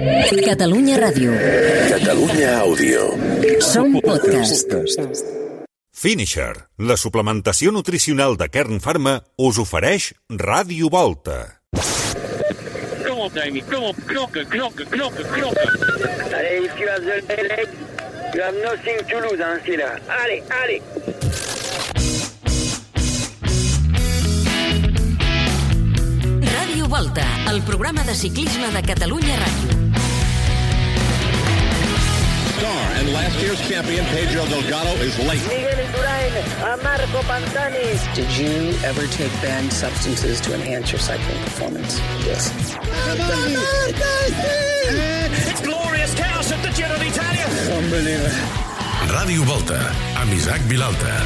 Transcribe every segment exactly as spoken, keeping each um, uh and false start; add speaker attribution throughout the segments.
Speaker 1: Catalunya Ràdio.
Speaker 2: Catalunya Àudio.
Speaker 1: Som podcast.
Speaker 3: Finisher, la suplementació nutricional de Kern Pharma, us ofereix Ràdio Volta.
Speaker 4: Kom op, Davy, kom op, knokken, knokken, knokken, knokken. Allez, tu as the leg, you have nothing to lose, hein, c'est là. Allez, allez.
Speaker 1: Ràdio Volta, el programa de ciclisme de Catalunya Ràdio.
Speaker 5: And last year's champion Pedro Delgado is late.
Speaker 4: Miguel Indurain, a Marco Pantani.
Speaker 6: Did you ever take banned substances to enhance your cycling performance? Yes.
Speaker 5: It's glorious chaos at the Giro d'Italia.
Speaker 6: Unbelievable.
Speaker 7: Ràdio Volta, amb Isaac Vilalta.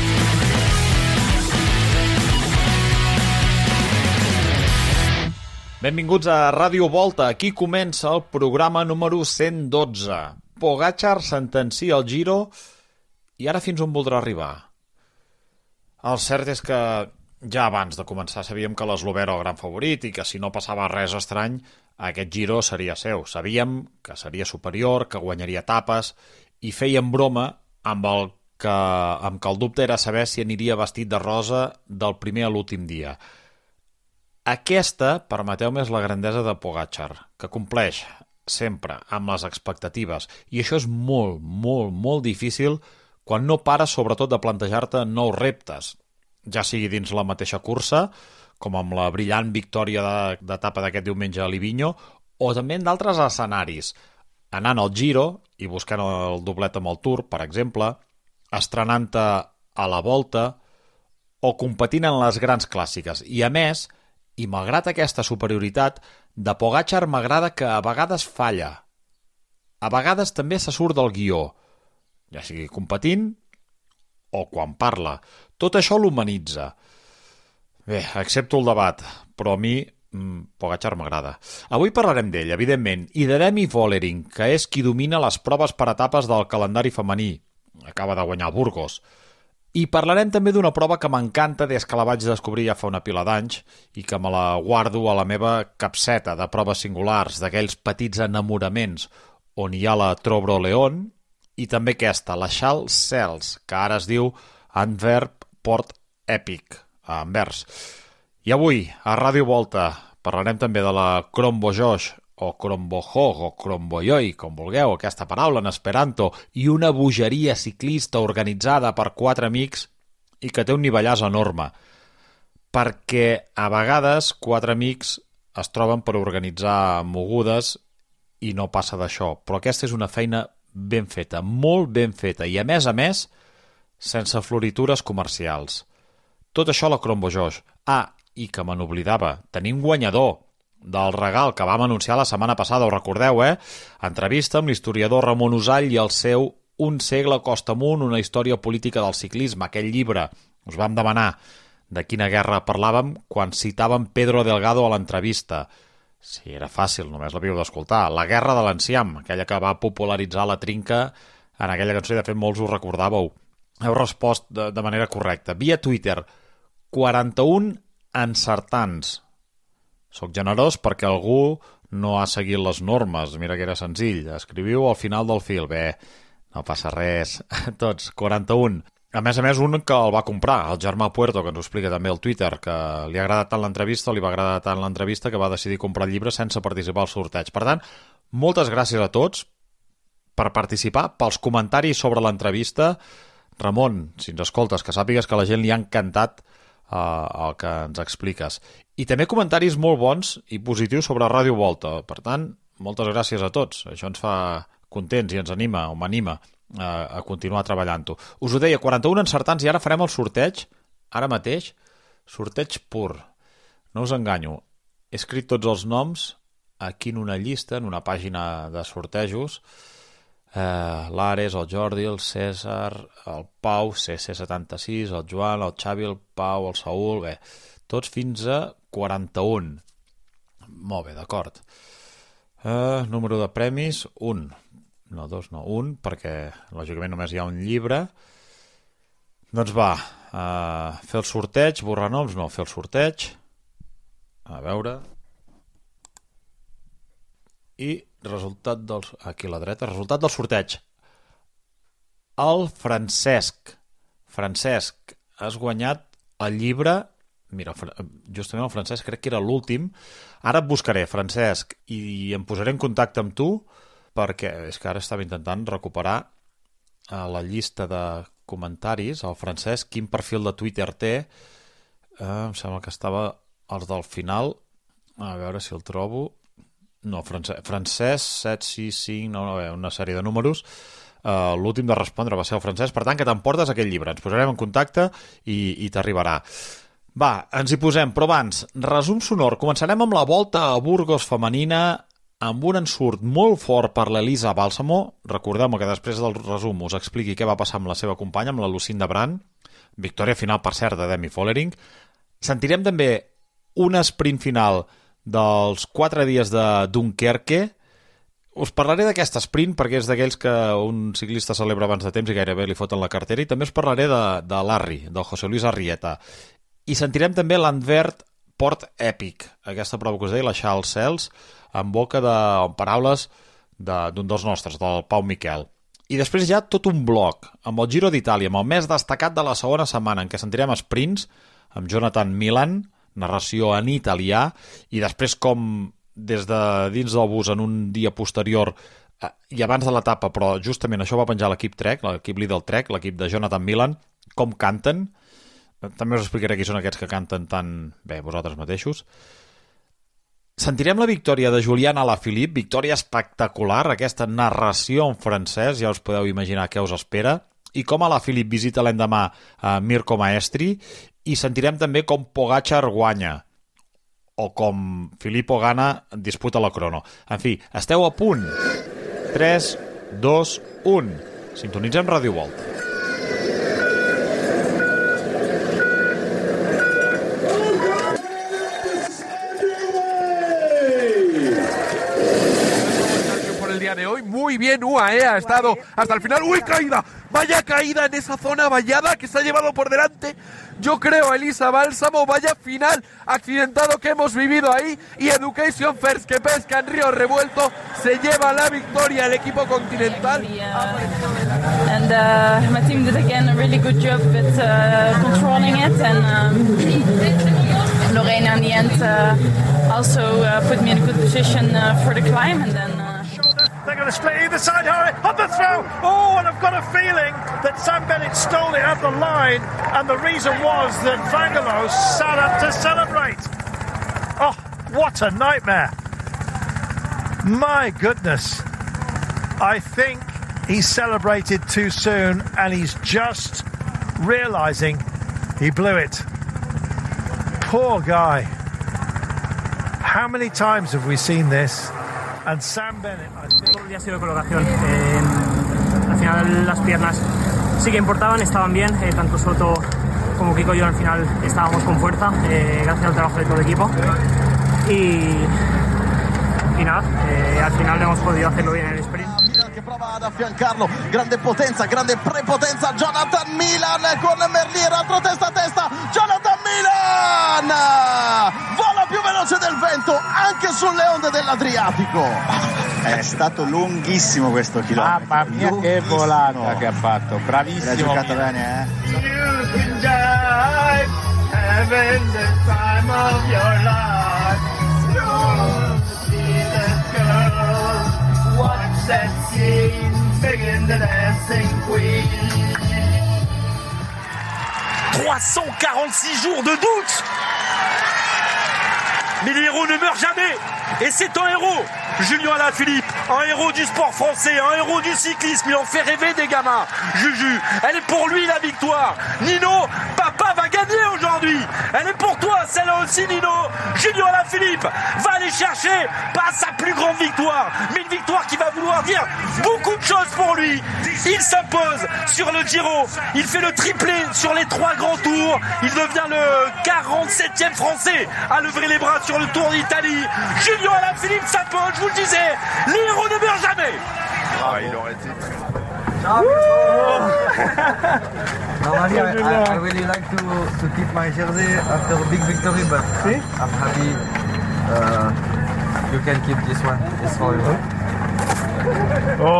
Speaker 8: Benvinguts a Ràdio Volta. Aquí comença el programa número cent dotze. Pogačar sentencia el Giro i ara fins on voldrà arribar? El cert és que ja abans de començar sabíem que l'eslovè era el gran favorit i que si no passava res estrany aquest Giro seria seu. Sabíem que seria superior, que guanyaria etapes i fèiem broma amb el que, amb que el dubte era saber si aniria vestit de rosa del primer a l'últim dia. Aquesta, permeteu-me, és la grandesa de Pogačar, que compleix sempre amb les expectatives, i això és molt, molt, molt difícil quan no pares sobretot de plantejar-te nous reptes, ja sigui dins la mateixa cursa, com amb la brillant victòria d'etapa d'aquest diumenge a Livigno, o també en d'altres escenaris, anant al Giro i buscant el doblet amb el Tour, per exemple, estrenant-te a la Volta o competint en les grans clàssiques. I a més, i malgrat aquesta superioritat, de Pogačar m'agrada que a vegades falla. A vegades també se surt del guió, ja sigui competint o quan parla. Tot això l'humanitza. Bé, accepto el debat, però a mi mm, Pogačar m'agrada. Avui parlarem d'ell, evidentment, i de Demi Vollering, que és qui domina les proves per etapes del calendari femení. Acaba de guanyar Burgos. I parlarem també d'una prova que m'encanta des que la vaig descobrir ja fa una pila d'anys i que me la guardo a la meva capseta de proves singulars, d'aquells petits enamoraments on hi ha la Trobro León i també aquesta, la Charles Cels, que ara es diu Antwerp Port Epic, a Anvers. I avui, a Ràdio Volta, parlarem també de la Krombojoch, o Krombojoch, o Kromboyoi, com vulgueu, aquesta paraula en esperanto, i una bogeria ciclista organitzada per quatre amics i que té un nivellàs enorme. Perquè a vegades quatre amics es troben per organitzar mogudes i no passa d'això. Però aquesta és una feina ben feta, molt ben feta, i a més a més, sense floritures comercials. Tot això a la Krombojoch. Ah, i que me n'oblidava, tenim guanyador del regal que vam anunciar la setmana passada, ho recordeu, eh? Entrevista amb l'historiador Ramon Usall i el seu Un segle costa amunt, una història política del ciclisme, aquell llibre. Us vam demanar de quina guerra parlàvem quan citàvem Pedro Delgado a l'entrevista. Sí, era fàcil, només l'havíeu d'escoltar. La guerra de l'enciam, aquella que va popularitzar la trinca en aquella cançó, i de fet molts us recordàveu. Heu respost de, de manera correcta. Via Twitter, quaranta-un encertants. Soc generós perquè algú no ha seguit les normes. Mira que era senzill. Escriviu al final del fil. Bé, no passa res. Tots, quaranta-un. A més a més, un que el va comprar, el Germà Puerto, que ens ho explica també al Twitter, que li ha agradat tant l'entrevista, li va agradar tant l'entrevista, que va decidir comprar el llibre sense participar al sorteig. Per tant, moltes gràcies a tots per participar, pels comentaris sobre l'entrevista. Ramon, si ens escoltes, que sàpigues que a la gent li ha encantat Uh, el que ens expliques. I també comentaris molt bons i positius sobre Ràdio Volta. Per tant, moltes gràcies a tots. Això ens fa contents i ens anima, o m'anima uh, a continuar treballant-ho. Us ho deia, quaranta-un encertants, i ara farem el sorteig, ara mateix, sorteig pur. No us enganyo. He escrit tots els noms aquí en una llista, en una pàgina de sortejos. Uh, l'Ares, el Jordi, el César, el Pau, C C setanta-sis, el Joan, el Xavi, el Pau, el Saúl, bé, tots fins a quaranta-un. Molt bé, d'acord. Uh, número de premis, un. No, dos, no, un, perquè lògicament només hi ha un llibre. Doncs va, uh, fer el sorteig, borrar noms, no, fer el sorteig. A veure... I resultat del... Aquí a la dreta, resultat del sorteig. El Francesc. Francesc, has guanyat el llibre... Mira, justament el Francesc crec que era l'últim. Ara et buscaré, Francesc, i em posaré en contacte amb tu, perquè és que ara estava intentant recuperar a la llista de comentaris, el Francesc, quin perfil de Twitter té. Eh, em sembla que estava els del final. A veure si el trobo. No, Francesc, Francesc set sis cinc, no, no, una sèrie de números. Uh, l'últim de respondre va ser el Francesc, per tant que t'emportes aquell llibre. Ens posarem en contacte i, i t'arribarà. Va, ens hi posem, però abans, resum sonor. Començarem amb la volta a Burgos femenina, amb un ensurt molt fort per l'Elisa Bàlsamo. Recordem que després del resum us expliqui què va passar amb la seva companya, amb la Lucinda Brand. Victòria final, per cert, de Demi Vollering. Sentirem també un sprint final dels quatre dies de Dunkerque. Us parlaré d'aquest sprint perquè és d'aquells que un ciclista celebra abans de temps i gairebé li foten la cartera, i també us parlaré de, de l'Arri, del José Luis Arrieta. I sentirem també l'Anvert Port Epic, aquesta prova que us deia, la Charles Cels, en boca de en paraules d'un de, dels nostres, del Pau Miquel. I després ja tot un bloc, amb el Giro d'Itàlia, amb el més destacat de la segona setmana, en què sentirem sprints, amb Jonathan Milan, narració en italià, i després com des de dins del bus en un dia posterior eh, i abans de l'etapa, però justament això va penjar l'equip Trek, l'equip Lidl Trek, l'equip de Jonathan Milan, com canten. També us explicaré qui són aquests que canten tan bé vosaltres mateixos. Sentirem la victòria de Julian Alaphilippe, victòria espectacular, aquesta narració en francès, ja us podeu imaginar què us espera, i com Alaphilippe visita l'endemà a Mirko Maestri, i sentirem també com Pogačar guanya, o com Filippo Ganna disputa la crono. En fi, esteu a punt. tres, dos, un. Sintonitzem Ràdio Volta.
Speaker 9: De hoy muy bien U A E ha estado hasta el final. ¡Uy, caída! Vaya caída en esa zona vallada que se ha llevado por delante, yo creo, a Elisa Bálsamo. Vaya final accidentado que hemos vivido ahí. Y Education First, que pesca en río revuelto, se lleva la victoria el equipo continental.
Speaker 10: And uh, my team did again a really good job with uh, controlling it, and um, Lorena in the end uh, also uh, put me in a good position uh, for the climb, and then uh,
Speaker 11: they're going to split either side. On the throw. Oh, and I've got a feeling that Sam Bennett stole it at the line, and the reason was that Vangelos sat up to celebrate. Oh, what a nightmare. My goodness. I think he celebrated too soon, and he's just realizing he blew it. Poor guy. How many times have we seen this? And Sam Bennett, I think...
Speaker 12: Todo el día ha sido colocación. Eh, al final las piernas sí que importaban, estaban bien. Eh, tanto Soto como Kiko y yo al final estábamos con fuerza, eh, gracias al trabajo de todo el equipo. Y, y nada, eh, al final hemos podido hacerlo bien en el sprint.
Speaker 13: Che prova ad affiancarlo, grande potenza, grande prepotenza, Jonathan Milan con Merlier, altro testa a testa, Jonathan Milan vola più veloce del vento anche sulle onde dell'Adriatico.
Speaker 14: È stato lunghissimo questo chilometro.
Speaker 15: Mamma mia, che volata che ha fatto, bravissimo.
Speaker 14: L'ha giocato bene, eh?
Speaker 11: You can die, having the time of your life. That scene, begging the dancing queen.
Speaker 16: trois cent quarante-six jours de doute. Mais les héros ne meurent jamais. Et c'est un héros, Julien Alaphilippe, un héros du sport français, un héros du cyclisme. Il en fait rêver des gamins. Juju, elle est pour lui la victoire. Nino, papa va gagner aujourd'hui. Elle est pour toi, celle-là aussi, Nino. Julien Alaphilippe va aller chercher pas sa plus grande victoire, mais une victoire qui va vouloir dire beaucoup de choses pour lui. Il s'impose sur le Giro. Il fait le triplé sur les trois grands tours. Il devient le quarante-septième Français à lever les bras sur le Tour d'Italie. Julien Alaphilippe s'impose, je vous le disais. Les héros ne meurent jamais.
Speaker 11: Ah, il aurait été...
Speaker 17: Normally, I, I, I really like to, to keep my jersey after a big victory, but I'm, I'm happy uh, you can keep this one. It's for you.
Speaker 13: Di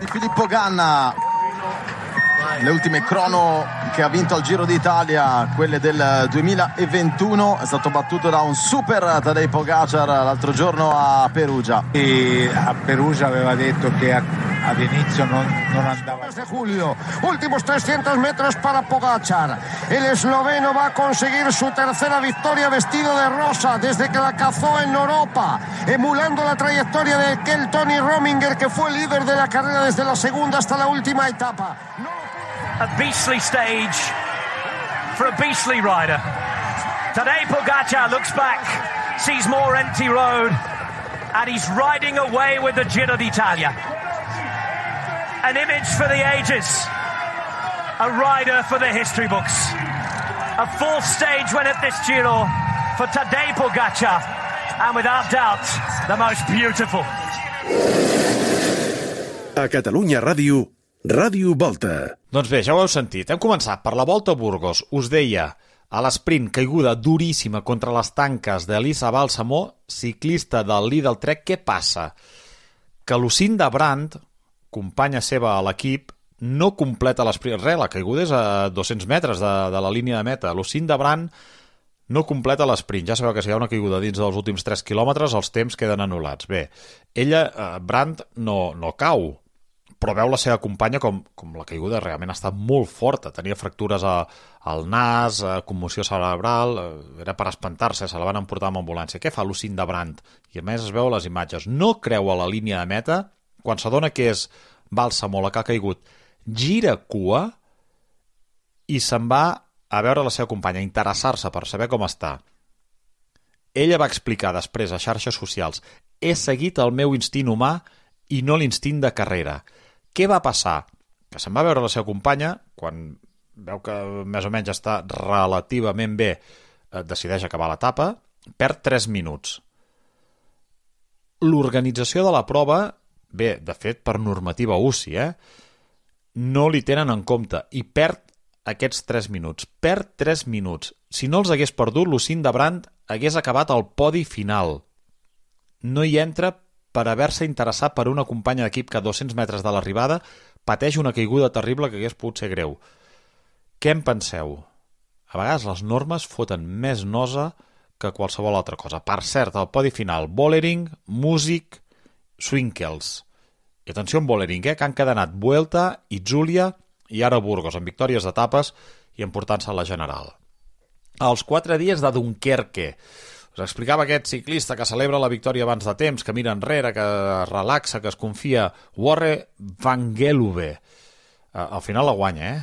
Speaker 13: Filippo Ganna, le ultime crono che ha vinto al Giro d'Italia, quelle del duemilaventuno, è stato battuto da un super Tadej Pogacar l'altro giorno a Perugia.
Speaker 15: E a Perugia aveva detto che ad inizio non, non andava.
Speaker 18: De julio, últimos trescientos metros para Pogacar. El esloveno va a conseguir su tercera victoria vestido de rosa desde que la cazó en Europa, emulando la trayectoria de aquel Tony Rominger que fue líder de la carrera desde la segunda hasta la última etapa.
Speaker 19: A beastly stage for a beastly rider. Tadej Pogacar looks back, sees more empty road, and he's riding away with the Giro d'Italia. An image for the ages. A rider for the history books. A fourth stage win at this Giro for Tadej Pogacar, and without doubt, the most beautiful.
Speaker 2: A Catalunya Ràdio, Ràdio Volta.
Speaker 8: Doncs bé, ja ho heu sentit. Hem començat per la Volta a Burgos. Us deia, a l'esprint, caiguda duríssima contra les tanques d'Elisa Balsamó, ciclista del Lidl Trek. Què passa? Que Lucinda Brandt, companya seva a l'equip, no completa l'esprint. Re, la caiguda és a dos-cents metres de, de la línia de meta. Lucinda Brandt no completa l'esprint. Ja sabeu que si hi ha una caiguda dins dels últims tres quilòmetres, els temps queden anul·lats. Bé, ella, eh, Brandt, no, no cau, però veu la seva companya com, com la caiguda realment ha estat molt forta. Tenia fractures a, al nas, a commoció cerebral, era per espantar-se, se la van emportar amb ambulància. Què fa Lucinda Brandt? I a més es veu a les imatges. No creu a la línia de meta, quan s'adona que és Balsamó la que ha caigut, gira cua i se'n va a veure la seva companya, a interessar-se per saber com està. Ella va explicar després a xarxes socials: he seguit el meu instint humà i no l'instint de carrera. Què va passar? Que se'n va veure la seva companya, quan veu que més o menys està relativament bé, decideix acabar l'etapa, perd tres minuts. L'organització de la prova, bé, de fet, per normativa U C I, eh, no li tenen en compte i perd aquests tres minuts. Perd tres minuts. Si no els hagués perdut, Lucinda Brandt hagués acabat al podi final. No hi entra per haver-se interessat per una companya d'equip que a dos-cents metres de l'arribada pateix una caiguda terrible que hagués pogut ser greu. Què en penseu? A vegades les normes foten més nosa que qualsevol altra cosa. Per cert, al podi final, Vollering, Músic, Swinkels. I atenció amb Vollering, eh, que han cadenat Vuelta i Júlia i ara Burgos, amb victòries d'etapes i emportant-se a la general. Els quatre dies de Dunkerque. Us explicava aquest ciclista que celebra la victòria abans de temps, que mira enrere, que es relaxa, que es confia. Warre van Geluwe. Uh, al final la guanya, eh?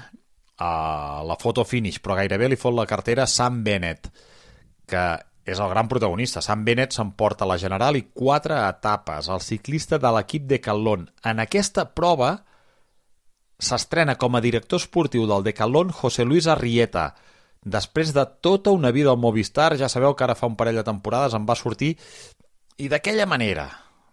Speaker 8: Uh, la foto finish, però gairebé li fot la cartera Sam Bennett, que és el gran protagonista. Sam Bennett s'emporta la general i quatre etapes. El ciclista de l'equip Decathlon. En aquesta prova s'estrena com a director esportiu del Decathlon José Luis Arrieta. Després de tota una vida al Movistar, ja sabeu que ara fa un parell de temporades em va sortir, i d'aquella manera,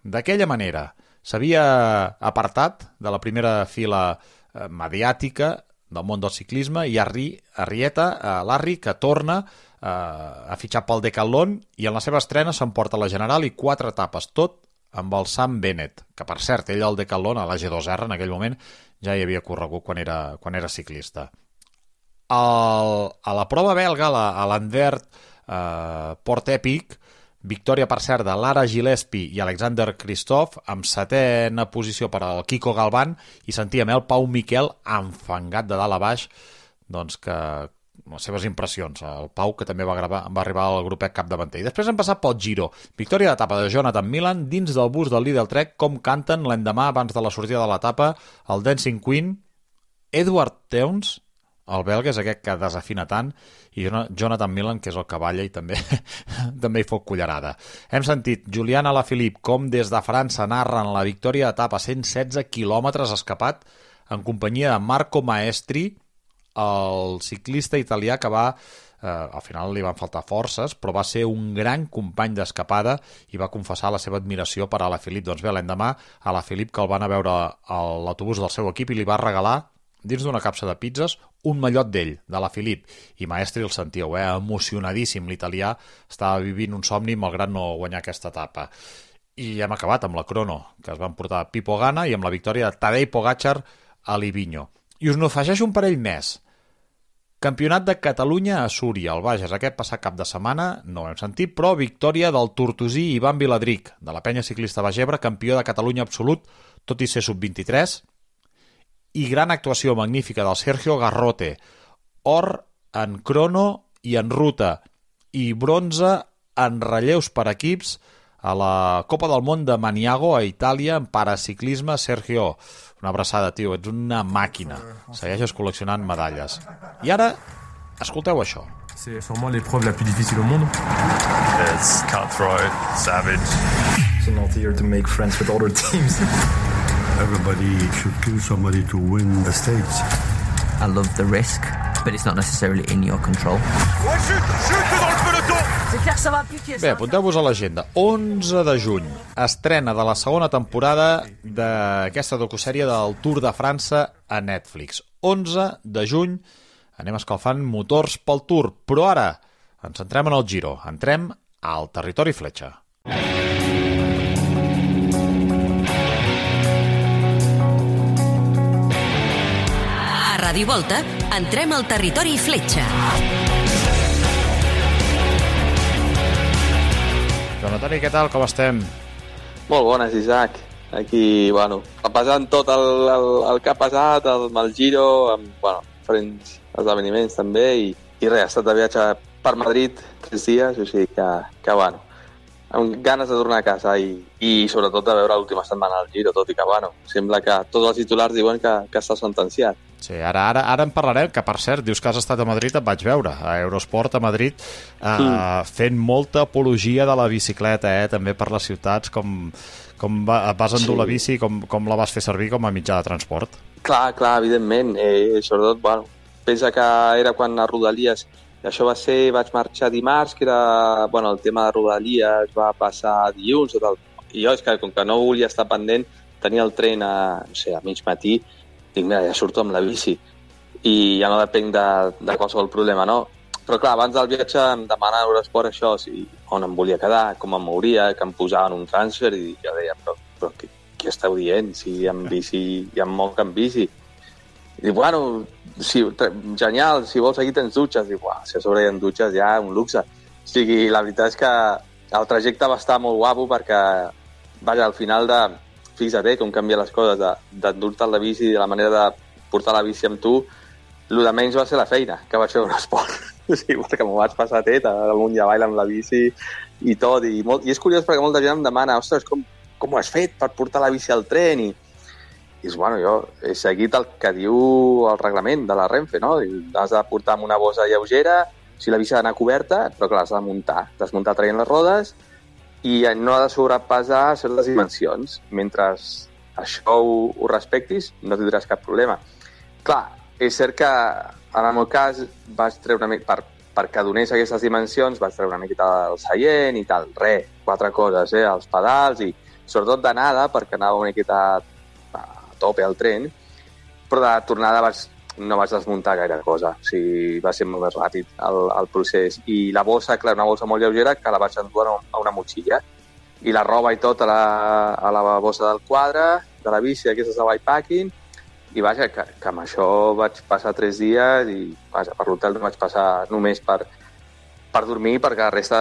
Speaker 8: d'aquella manera, s'havia apartat de la primera fila eh, mediàtica del món del ciclisme, i Arri, Arrieta, eh, l'Arri, que torna eh, a fitxar pel Decathlon, i en la seva estrena s'emporta la general i quatre etapes, tot amb el Sam Bennett, que per cert, ell al Decathlon, a la G dos R, en aquell moment, ja hi havia corregut quan era, quan era ciclista. El, a la prova belga, a l'Anvert eh, Port Epic, victòria per cert de Lara Gillespie i Alexander Kristoff, amb setena posició per al Kiko Galván, i sentíem el Pau Miquel enfangat de dalt a baix, doncs que les seves impressions, el Pau, que també va, gravar, va arribar al grupet capdavanter. I després hem passat pel Giro, victòria d'etapa de Jonathan Milan dins del bus del Lidl Trek, com canten l'endemà abans de la sortida de l'etapa el Dancing Queen, Edward Teuns, el belga és aquest que desafina tant, i Jonathan Milan, que és el que balla i també, també hi fot cullerada. Hem sentit Julian Alaphilippe com des de França narren la victòria d'etapa, cent setze quilòmetres escapat, en companyia de Marco Maestri, el ciclista italià que va, eh, al final li van faltar forces, però va ser un gran company d'escapada i va confessar la seva admiració per Alaphilippe. Doncs bé, l'endemà Alaphilippe, que el van a veure a l'autobús del seu equip i li va regalar dins d'una capsa de pizzas, un mallot d'ell, de la Filip, i Maestri el sentíeu, eh? Emocionadíssim. L'italià estava vivint un somni malgrat no guanyar aquesta etapa. I hem acabat amb la crono, que es van portar Pipo Gana, i amb la victòria de Tadej Pogačar a Livigno. I us n'afegeixo un parell més. Campionat de Catalunya a Súria, al Bages, aquest passat cap de setmana, no ho hem sentit, però victòria del tortosí Ivan Viladric, de la penya ciclista Bagebre, campió de Catalunya absolut, tot i ser sub vint-i-tres, i gran actuació magnífica del Sergio Garrote, or en crono i en ruta, i bronze en relleus per equips a la Copa del Món de Maniago a Itàlia en paraciclisme. Sergio, una abraçada, tio, ets una màquina, segueixes col·leccionant medalles. I ara, escolteu això.
Speaker 20: C'est sûrement l'épreuve la plus difficile au monde. It's cutthroat, savage. So not here to make friends with other teams.
Speaker 21: Everybody should kill somebody to win the stakes.
Speaker 22: I love the risk, but it's not necessarily in your control.
Speaker 8: Bé, apunteu-vos a l'agenda. onze de juny, estrena de la segona temporada d'aquesta docusèrie del Tour de França a Netflix. onze de juny, anem escalfant motors pel Tour, però ara ens centrem en el Giro, entrem al territori fletxa.
Speaker 1: A Ràdio Volta, entrem al territori fletxa.
Speaker 8: Joan Antoni, què tal? Com estem?
Speaker 23: Molt bones, Isaac. Aquí, bueno, passant tot el, el, el que ha passat, el, el Giro, amb, bueno, diferents esdeveniments també, i, i res, ha estat de viatge per Madrid tres dies, o sigui que, que bueno, amb ganes de tornar a casa i, i sobretot de veure l'última setmana del Giro, tot i que, bueno, sembla que tots els titulars diuen que, que està sentenciat.
Speaker 8: Sí, ara, ara, ara en parlarem, que per cert, dius que has estat a Madrid, et vaig veure, a Eurosport a Madrid, eh, mm. fent molta apologia de la bicicleta, eh, també per les ciutats, com, com va, vas endur sí. la bici, com, com la vas fer servir com a mitjà de transport.
Speaker 23: Clar, clar, evidentment, eh, sobretot, bueno, pensa que era quan a Rodalies, això va ser, vaig marxar dimarts, que era, bueno, el tema de Rodalies va passar dilluns, o tal. I jo, és que com que no volia estar pendent, tenia el tren a, no sé, a mig matí, dic, mira, ja surto amb la bici i ja no depenc de, de qualsevol problema, no? Però clar, abans del viatge em demanava a Eurosport això, si, on em volia quedar, com em mouria, que em posaven un transfer, i jo deia, però, però què, què esteu dient? Si amb bici, ja em moc amb bici. I dic, bueno, si, genial, si vols aquí tens dutxes. Dic, uah, si a sobre hi ha dutxes ja un luxe. O sigui, la veritat és que el trajecte va estar molt guapo perquè, vaja, al final de... Fixa't, eh, com canvia les coses, d'endur-te la bici, de la manera de portar la bici amb tu, el de menys va ser la feina, que vaig fer un esport. O sigui, perquè m'ho vaig passar tet, amunt i avall amb la bici i tot. I, molt, I és curiós perquè molta gent em demana, ostres, com, com ho has fet per portar la bici al tren? I, i és, bueno, jo he seguit el que diu el reglament de la Renfe, no? Has de portar amb una bossa lleugera, si la bici ha d'anar coberta, però clar, has de muntar. Desmuntar traient les rodes, i no ha de sobrepassar certes dimensions. Mentre això ho, ho respectis, no tindràs cap problema. Clar, és cert que en el meu cas vaig treure una mica, per, perquè donés aquestes dimensions, vaig treure una miqueta del seient i tal. Re, quatre coses, eh? Els pedals i sobretot d'anada, perquè anava una miqueta a tope al tren, però de tornada vaig, no vaig desmuntar gaire cosa. O sigui, va ser molt més ràpid el, el procés. I la bossa, clar, una bossa molt lleugera que la vaig endur a una motxilla. I la roba i tot a la, a la bossa del quadre, de la bici, aquestes de bikepacking. I vaja, que, que amb això vaig passar tres dies i vaja, per l'hotel no vaig passar només per, per dormir, perquè la resta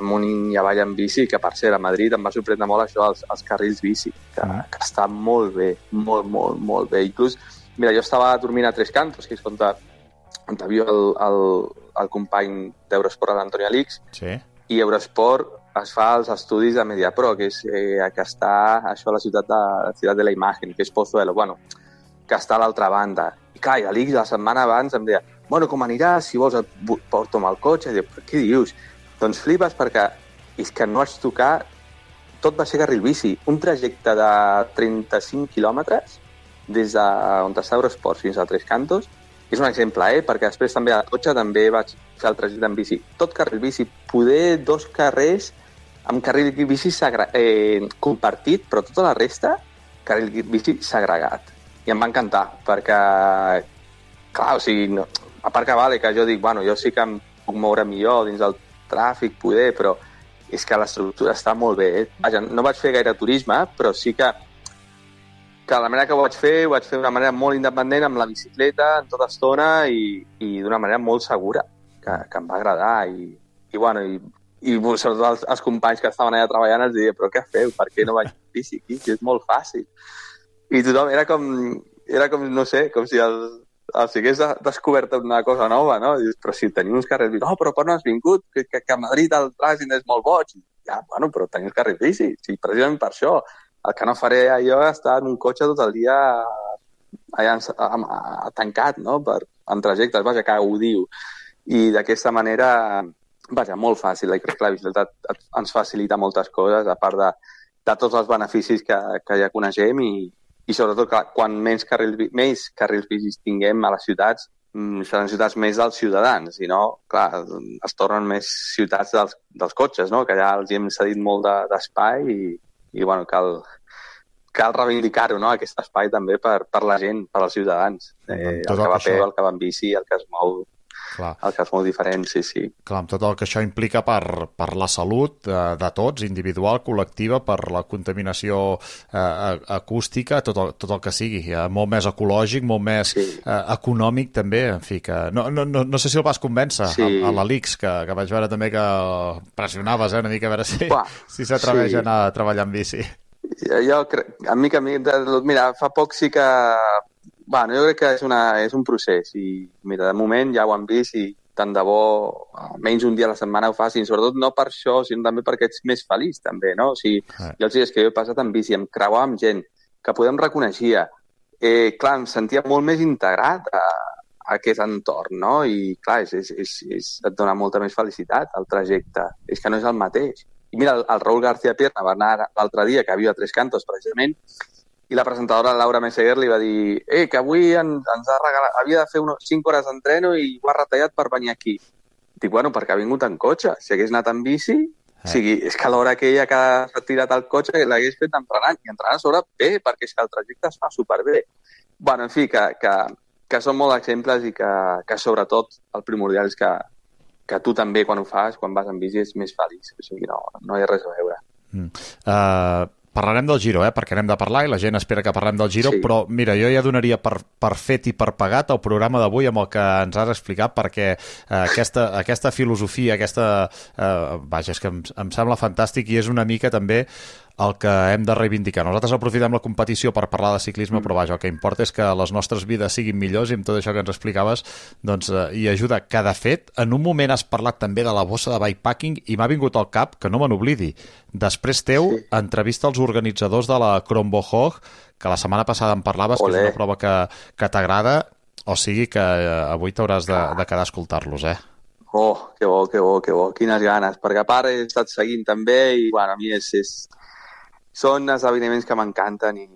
Speaker 23: amunt i avall en bici, que per cert, a Madrid em va sorprendre molt això, els, els carrils bici, que, que està molt bé, molt, molt, molt bé. Inclús, mira, jo estava dormint a Tres Cantos, que és on, on viu el, el, el company d'Eurosport, l'Antoni Alix,
Speaker 8: sí.
Speaker 23: I Eurosport es fa els estudis de Mediapro, que és eh, que està això a la ciutat de, la ciutat de la Imagen, que és Pozuelo, bueno, que està a l'altra banda. I clar, i l'Alix la setmana abans em deia, bueno, com aniràs, si vols et porto amb el cotxe. I dic, però què dius? Doncs flipes perquè és que no vaig tocar, tot va ser carril bici, un trajecte de trenta-cinc quilòmetres des d'on està Eurosport fins a Tres Cantos. És un exemple, eh? Perquè després també al cotxe també vaig fer el trajecte en bici. Tot carril bici, poder dos carrers amb carril bici segra... eh, compartit, però tota la resta, carril bici segregat. i em va encantar, perquè, clar, o sigui, no, a part que vale, que jo dic, bueno, jo sí que em puc moure millor dins del tràfic, poder, però és que l'estructura està molt bé. Eh? Vaja, no vaig fer gaire turisme, però sí que que la manera que ho vaig fer, ho vaig fer d'una manera molt independent, amb la bicicleta, en tota estona, i, i d'una manera molt segura, que, que em va agradar. I, i bueno, i, i sobretot els, els companys que estaven allà treballant els deia, però què feu? Per què no vaig amb bici aquí? Que és molt fàcil. I tothom era com, era com no sé, com si el, els hagués descobert una cosa nova, no? I dius, però si teniu uns carrers bici, no, però per no has vingut? Que, que, que a Madrid el trànsit és molt boig. Ja, bueno, però teniu uns carrers bici, sí, precisament per això. El que no faré jo és estar en un cotxe tot el dia allà a, a, a, tancat, no? Per, en trajectes, vaja, que ho diu. I d'aquesta manera, vaja, molt fàcil. I crec que la bicicleta ens facilita moltes coses, a part de, de tots els beneficis que, que ja coneixem i, i sobretot que quan menys carrils, més carrils bicis tinguem a les ciutats, seran ciutats més dels ciutadans, i no, clar, es tornen més ciutats dels, dels cotxes, no? Que ja els hi hem cedit molt d'espai de, i i bueno, cal, cal reivindicar-ho, no? Aquest espai també per, per la gent, per als ciutadans. Eh, el que va a peu, el que va en bici, el que es mou, clar. El que es mou diferent, sí, sí.
Speaker 8: Clar, amb tot el que això implica per, per la salut de, de tots, individual, col·lectiva, per la contaminació eh, acústica, tot el, tot el que sigui. Eh, molt més ecològic, molt més sí. eh, econòmic també, en fi, que no, no, no, no sé si el vas convèncer sí. a, a l'Alix, que, que vaig veure també que pressionaves eh, una mica a veure si, si s'atreveix sí. a anar a treballar en bici.
Speaker 23: Jo, jo crec, a mi que a mi, mira, fa poc sí que bueno, jo crec que és, una, és un procés i mira, de moment ja ho han vist i tant de bo menys un dia a la setmana ho facin, sobretot no per això, sinó també perquè ets més feliç també, no? O sigui, eh. jo els dies que jo he passat en bici, em creuava amb gent que podem reconeixia, eh, clar, em sentia molt més integrat a, a aquest entorn, no? I clar, és, és, és, és, et dona molta més felicitat el trajecte, és que no és el mateix. I mira, el, el Raúl García Pierna va anar l'altre dia, que viu a Tres Cantos precisament, i la presentadora Laura Meseguer li va dir eh, que avui en, ens ha regalat, havia de fer unes cinc hores d'entreno i ho ha retallat per venir aquí. Dic, bueno, perquè ha vingut en cotxe. Si hagués anat en bici, eh. o sigui, és que a l'hora que ella que ha tirat el cotxe l'hagués fet entrenant, i entrenant a sobre bé, perquè és que el trajecte es fa superbé. Bueno, en fi, que, que, que són molts exemples i que, que sobretot el primordial és que, que tu també quan ho fas, quan vas en bici, és més feliç. O sigui, no, no hi ha res a veure.
Speaker 8: Mm. Uh... Parlarem del Giro, eh? Perquè anem de parlar i la gent espera que parlem del Giro, sí. Però mira, jo ja donaria per, per fet i per pagat el programa d'avui amb el que ens has explicat, perquè eh, aquesta, aquesta filosofia, aquesta... Eh, vaja, és que em, em sembla fantàstic i és una mica també el que hem de reivindicar. Nosaltres aprofitem la competició per parlar de ciclisme, mm. però vaja, el que importa és que les nostres vides siguin millors i amb tot això que ens explicaves doncs, eh, hi ajuda. Que de fet, en un moment has parlat també de la bossa de bikepacking i m'ha vingut al cap, que no me n'oblidi, després teu, sí. entrevista als organitzadors de la Kronborg, que la setmana passada em parlaves, Olé. Que és una prova que, que t'agrada, o sigui que eh, avui t'hauràs de, de quedar a escoltar-los, eh?
Speaker 23: Oh, que bo, que bo, que bo, quines ganes, perquè a part he estat seguint també i, bueno, a mi és... és... Són esdeveniments que m'encanten i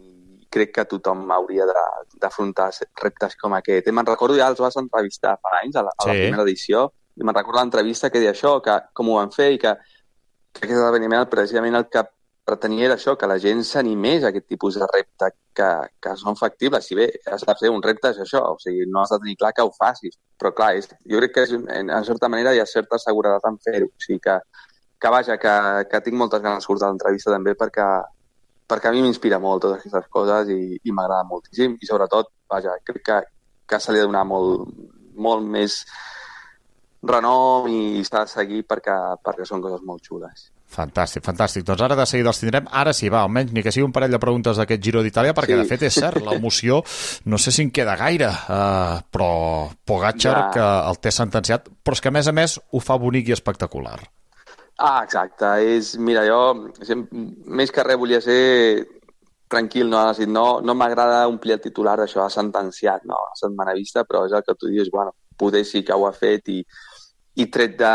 Speaker 23: crec que tothom hauria d'afrontar reptes com aquest. Me'n recordo, ja els vas entrevistar fa anys, a la, a la sí. primera edició, i me'n recordo l'entrevista que deia això, que com ho van fer i que, que aquest esdeveniment precisament el que pretenia era això, que la gent s'animés a aquest tipus de repte que, que són factibles. Si bé has de fer un repte és això, o sigui, no has de tenir clar que ho facis, però clar, és, jo crec que és, en, en certa manera hi ha certa seguretat en fer-ho, o sigui que que vaja, que, que tinc moltes ganes d'escoltar l'entrevista també perquè, perquè a mi m'inspira molt totes aquestes coses i, i m'agrada moltíssim i sobretot, vaja, crec que, que se li ha de donar molt, molt més renom i s'ha de seguir perquè, perquè són coses molt xules.
Speaker 8: Fantàstic, fantàstic. Doncs ara de seguida els tindrem. Ara sí, va, almenys ni que sigui un parell de preguntes d'aquest Giro d'Itàlia, perquè sí. de fet és cert, l'emoció no sé si en queda gaire, uh, però Pogačar ja. que el té sentenciat, però és que a més a més ho fa bonic i espectacular.
Speaker 23: Ah, exacte. És, mira, jo més que res volia ser tranquil, no, no, no m'agrada omplir el titular d'això, ha sentenciat, no, a setmana vista, però és el que tu dius, bueno, poder sí que ho ha fet i, i tret de,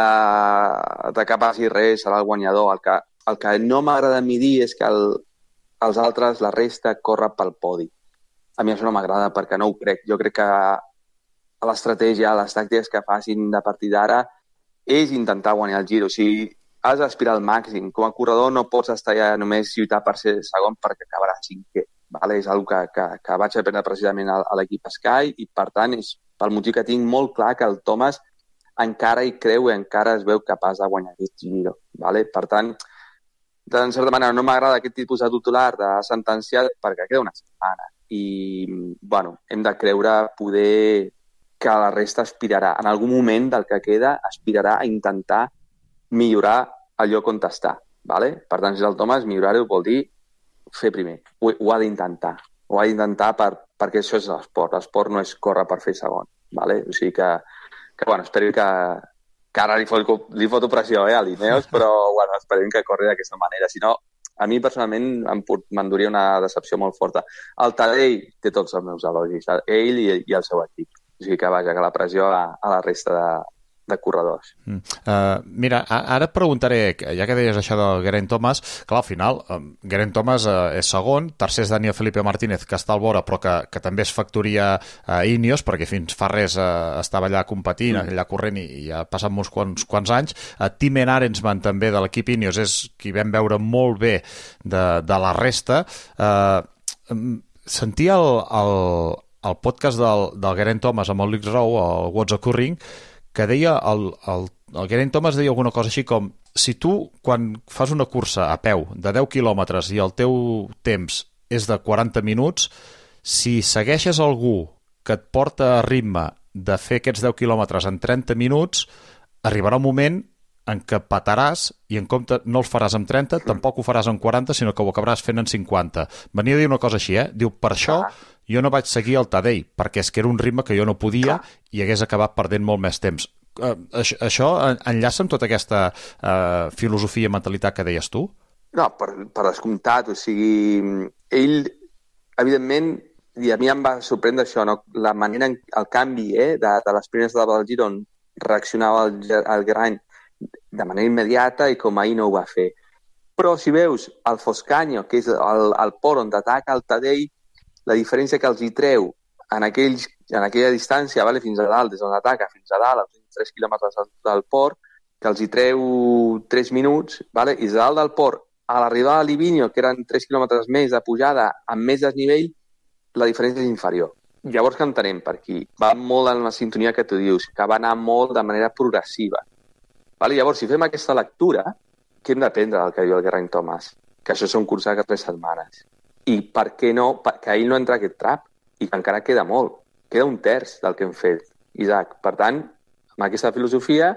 Speaker 23: de que passi res serà el guanyador. El que, el que no m'agrada a mi dir és que el, els altres, la resta, corre pel podi. A mi això no m'agrada perquè no ho crec. Jo crec que l'estratègia, les tàctiques que facin de partir d'ara és intentar guanyar el Giro. O sigui, has d'aspirar al màxim. Com a corredor no pots estar ja només lluitar per ser segon perquè acabaràs cinquè. vale? És una que, que, que vaig aprendre precisament a, a l'equip Sky i, per tant, és pel motiu que tinc molt clar que el Thomas encara hi creu i encara es veu capaç de guanyar aquest Giro. Vale? Per tant, en certa manera, no m'agrada aquest tipus de titular de sentenciat perquè queda una setmana i, bueno, hem de creure poder que la resta aspirarà. En algun moment del que queda aspirarà a intentar millorar el lloc on està. Vale? Per tant, si és el Thomas, millorar-ho vol dir fer primer. Ho, ho ha d'intentar. Ho ha d'intentar per, perquè això és l'esport. L'esport no és córrer per fer segon. Vale? O sigui que, que bueno, espero que, que ara li foto, li foto pressió eh, a l'Ineos, però bueno, esperem que corri d'aquesta manera. Si no, a mi personalment m'enduria una decepció molt forta. El Tadej té tots els meus elogis, ell i, i el seu equip. O sigui que, vaja, que la pressió a, a la resta de, de corredors.
Speaker 8: Mm. Uh, mira, ara et preguntaré, ja que deies això del Geraint Thomas, clar, al final, um, Geraint Thomas uh, és segon, tercer és Daniel Felipe Martínez, que està al vora, però que, que també és factoria uh, Ineos, perquè fins fa res uh, estava allà competint, mm. allà corrent, i, i ha passat molts quants, quants anys. Uh, Tim Arensman, també, de l'equip Ineos, és qui vam veure molt bé de, de la resta. Uh, sentia el... el el podcast del, del Geraint Thomas amb el Luke Rowe, el What's Occurring, que deia, el, el, el Geraint Thomas deia alguna cosa així com, si tu, quan fas una cursa a peu de deu quilòmetres i el teu temps és de quaranta minuts, si segueixes algú que et porta a ritme de fer aquests deu quilòmetres en trenta minuts, arribarà un moment en què pataràs i en compte no els faràs en trenta, tampoc ho faràs en quaranta, sinó que ho acabaràs fent en cinquanta. Venia a dir una cosa així, eh? Diu, per això jo no vaig seguir el Tadej, perquè és que era un ritme que jo no podia i hagués acabat perdent molt més temps. Uh, això, això enllaça amb tota aquesta uh, filosofia i mentalitat que deies tu?
Speaker 23: No, per, per descomptat. O sigui, ell, evidentment, i a mi em va sorprendre això, no? La manera, en, el canvi eh, de, de les primeres etapes del Giro on reaccionava el, el Geraint de manera immediata i com ahir no ho va fer. Però si veus el Foscanyo, que és el, el port on t'ataca el Tadej, la diferència que els hi treu en, aquells, en aquella distància, vale, fins a dalt, des d'on ataca fins a dalt, als tres quilòmetres del port, que els hi treu tres minuts, vale, i des de dalt del port a l'arribada a Livigno, que eren tres quilòmetres més de pujada, amb més desnivell, la diferència és inferior. Llavors que entenem per aquí? Va molt en la sintonia que tu dius, que va anar molt de manera progressiva. Vale? Llavors, si fem aquesta lectura, què hem d'aprendre del que diu el Geraint Thomas? Que això són curses de tres setmanes. I per què no? Perquè ell no entra aquest trap i que encara queda molt. Queda un terç del que hem fet, Isaac. Per tant, amb aquesta filosofia,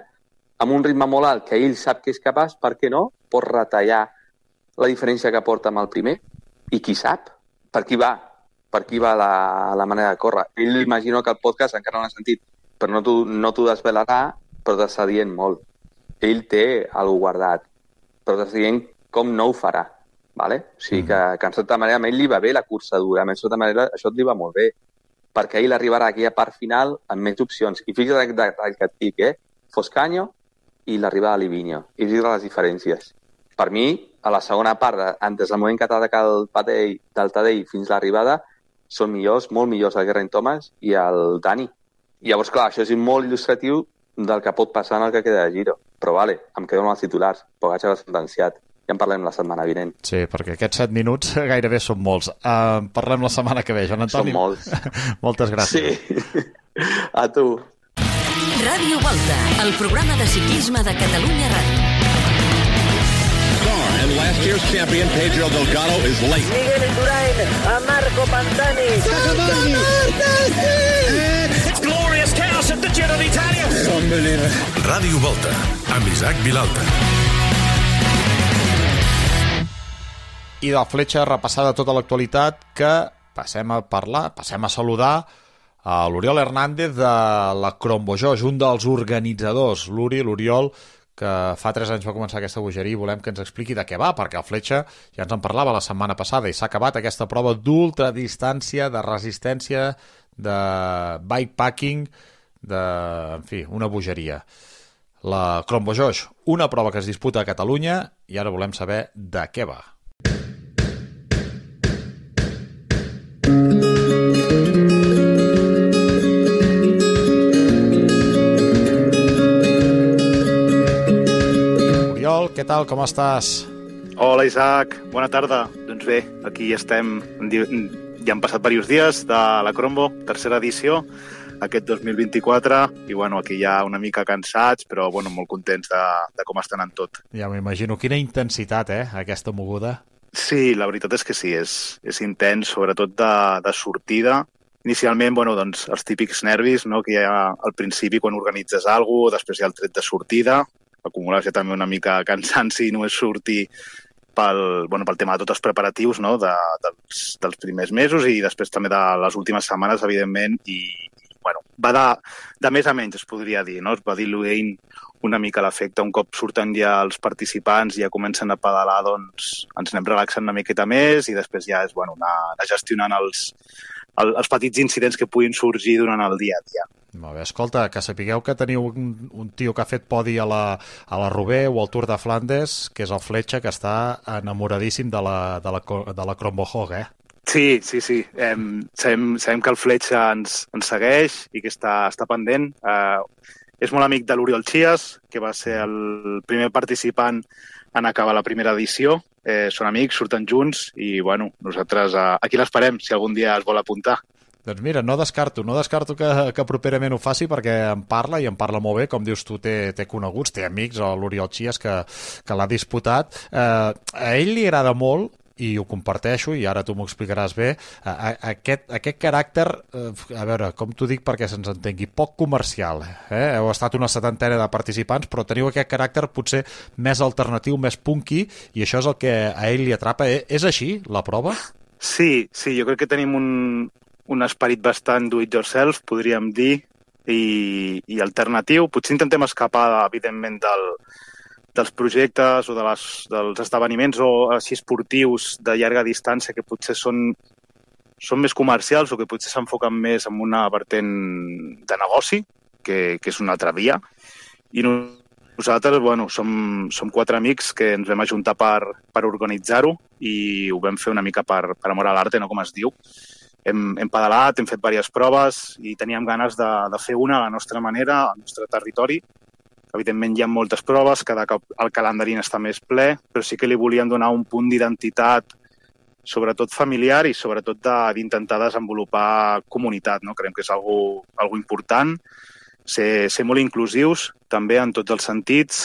Speaker 23: amb un ritme molt alt que ell sap que és capaç, per què no? Pot retallar la diferència que porta amb el primer. I qui sap? Per qui va? Per qui va la, la manera de córrer? Ell imagino que el podcast encara no l'ha sentit, però no t'ho no t'ho desvelarà, però t'està dient molt. Ell té alguna guardat, però t'està dient com no ho farà. Vale? O sigui que, que en certa manera a ell li va bé la cursa dura, en certa manera això et li va molt bé, perquè ell arribarà a aquella part final amb més opcions. I fixa't el que et dic, eh? Foscanyo i l'arribada a Livigno. I fixa't les diferències. Per mi, a la segona part, des del moment que t'ataca el Tadej, del Tadej fins a l'arribada, són millors, molt millors el Geraint Thomas i el Dani. I llavors, clar, això és molt il·lustratiu del que pot passar en el que queda de Giro. Però vale, em quedo amb els titulars. Pogačar va sentenciat. Ja en parlem la setmana vinent.
Speaker 8: Sí, perquè aquests set minuts gairebé són molts. Uh, parlem la setmana que ve, Joan Antoni.
Speaker 23: Són molts.
Speaker 8: Moltes gràcies.
Speaker 23: Sí, a tu.
Speaker 1: Ràdio Volta, el programa de ciclisme de Catalunya Ràdio.
Speaker 2: And last year's champion, Pedro Delgado, is late.
Speaker 3: Miguel Indurain, a Marco Pantani.
Speaker 19: It's glorious chaos at the Giro d'Italia.
Speaker 2: Unbelievable.
Speaker 7: Ràdio Volta, amb Isaac Vilalta.
Speaker 8: I de Fletxa repassada tota l'actualitat, que passem a parlar, passem a saludar a l'Oriol Hernández de la Crombojoix, un dels organitzadors. L'Uri, l'Oriol, que fa tres anys va començar aquesta bogeria i volem que ens expliqui de què va, perquè el Fletxa ja ens en parlava la setmana passada i s'ha acabat aquesta prova d'ultradistància, de resistència, de bikepacking, de, en fi, una bogeria. La Crombojoix, una prova que es disputa a Catalunya i ara volem saber de què va. Oriol, què tal, com estàs?
Speaker 4: Hola, Isaac. Bona tarda. Doncs bé, aquí estem. Ja han passat diversos dies de la Crombo, tercera edició, aquest dos mil vint-i-quatre, i bueno, aquí ja una mica cansats, però bueno, molt contents de, de com estan en tot.
Speaker 8: Ja m'imagino. Quina intensitat, eh, aquesta moguda.
Speaker 4: Sí, la veritat és que sí, és, és intens, sobretot de, de sortida. Inicialment, bueno, doncs, els típics nervis, no?, que hi ha al principi quan organitzes alguna cosa, després hi ha el tret de sortida, acumular-se també una mica cansanci i només sortir pel, bueno, pel tema de tots els preparatius, no?, de, dels, dels primers mesos i després també de les últimes setmanes, evidentment, i bueno, va de, de més a menys, es podria dir, no? Es va diluint una mica l'efecte. Un cop surten ja els participants i ja comencen a pedalar, doncs ens anem relaxant una miqueta més i després ja és, bueno, anar, anar gestionant els, el, els petits incidents que puguin sorgir durant el dia a dia.
Speaker 8: Molt bé, escolta, que sapigueu que teniu un, un tio que ha fet podi a la, a la Roubaix o al Tour de Flandes, que és el Fletxa, que està enamoradíssim de la, de la, de la Crombohog, eh?
Speaker 4: Sí, sí, sí. Eh, sabem, sabem que el Fletxa ens, ens segueix i que està, està pendent. Eh, és molt amic de l'Oriol Chias, que va ser el primer participant en acabar la primera edició. Eh, són amics, surten junts i, bueno, nosaltres eh, aquí l'esperem, si algun dia es vol apuntar.
Speaker 8: Doncs mira, no descarto, no descarto que, que properament ho faci perquè em parla i em parla molt bé, com dius tu, té, té coneguts, té amics, l'Oriol Chias, que, que l'ha disputat. Eh, a ell li agrada molt, i ho comparteixo, i ara tu m'ho explicaràs bé, aquest, aquest caràcter, a veure, com t'ho dic perquè se'ns entengui, poc comercial. Eh? Heu estat una setantena de participants, però teniu aquest caràcter potser més alternatiu, més punky, i això és el que a ell li atrapa. És així, la prova?
Speaker 4: Sí, sí, jo crec que tenim un, un esperit bastant do-it-yourself, podríem dir, i, i alternatiu. Potser intentem escapar, evidentment, del dels projectes o de les, dels esdeveniments o així esportius de llarga distància que potser són, són més comercials o que potser s'enfoquen més en una vertent de negoci, que, que és una altra via. I nosaltres, bueno, som, som quatre amics que ens vam ajuntar per, per organitzar-ho i ho vam fer una mica per, per amor a l'arte, no com es diu. Hem, hem pedalat, hem fet diverses proves i teníem ganes de, de fer una a la nostra manera, al nostre territori. Evidentment hi ha moltes proves, cada cop el calendari està més ple, però sí que li volíem donar un punt d'identitat, sobretot familiar i sobretot d'intentar de, desenvolupar comunitat, no? Creiem que és algo, algo important, ser, ser molt inclusius també en tots els sentits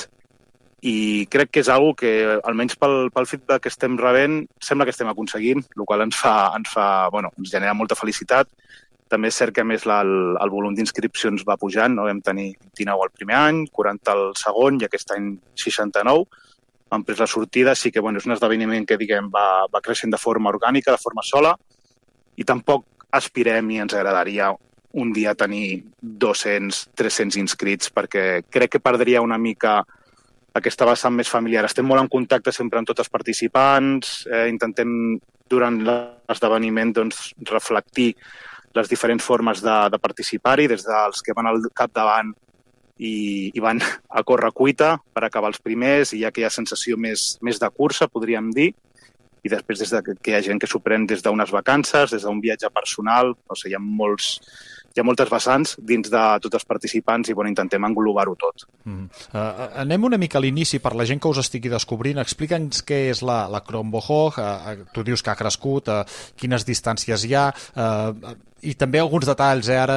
Speaker 4: i crec que és algo que, almenys pel, pel feedback que estem rebent, sembla que estem aconseguint, el qual ens fa, ens fa, bueno, ens genera molta felicitat. També és cert que, a més, la, el, el volum d'inscripcions va pujant, no? Vam tenir vint-i-nou el primer any, quaranta el segon i aquest any seixanta-nou. Hem pres la sortida, sí que bueno, és un esdeveniment que diguem, va, va creixent de forma orgànica, de forma sola, i tampoc aspirem i ens agradaria un dia tenir dos-cents, tres-cents inscrits, perquè crec que perdria una mica aquesta vessant més familiar. Estem molt en contacte sempre amb tots els participants, eh, intentem durant l'esdeveniment doncs, reflectir les diferents formes de, de participar-hi, des dels que van al capdavant i, i van a córrer cuita per acabar els primers, i hi ha aquella sensació més, més de cursa, podríem dir, i després des de que, que hi ha gent que s'ho pren des d'unes vacances, des d'un viatge personal, o sigui, hi ha, molts, hi ha moltes vessants dins de tots els participants i bueno, intentem englobar-ho tot.
Speaker 8: Mm. Uh, anem una mica a l'inici per la gent que us estigui descobrint. Explica'ns què és la, la Crombohog, uh, tu dius que ha crescut, uh, quines distàncies hi ha, uh, i també alguns detalls, eh? Ara,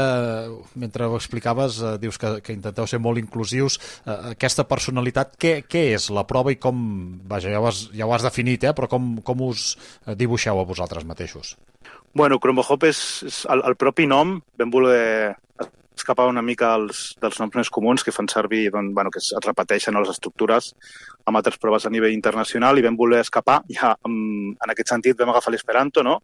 Speaker 8: mentre ho explicaves, eh, dius que, que intenteu ser molt inclusius. Eh, aquesta personalitat, què, què és la prova i com, vaja, ja ho has, ja ho has definit, eh? Però com, com us dibuixeu a vosaltres mateixos?
Speaker 4: Bueno, Crombohog és, és el, el propi nom, vam voler escapar una mica als, dels noms més comuns que fan servir, doncs, bueno, que es repeteixen a les estructures amb altres proves a nivell internacional, i vam voler escapar, ja en, en aquest sentit vam agafar l'esperanto, no?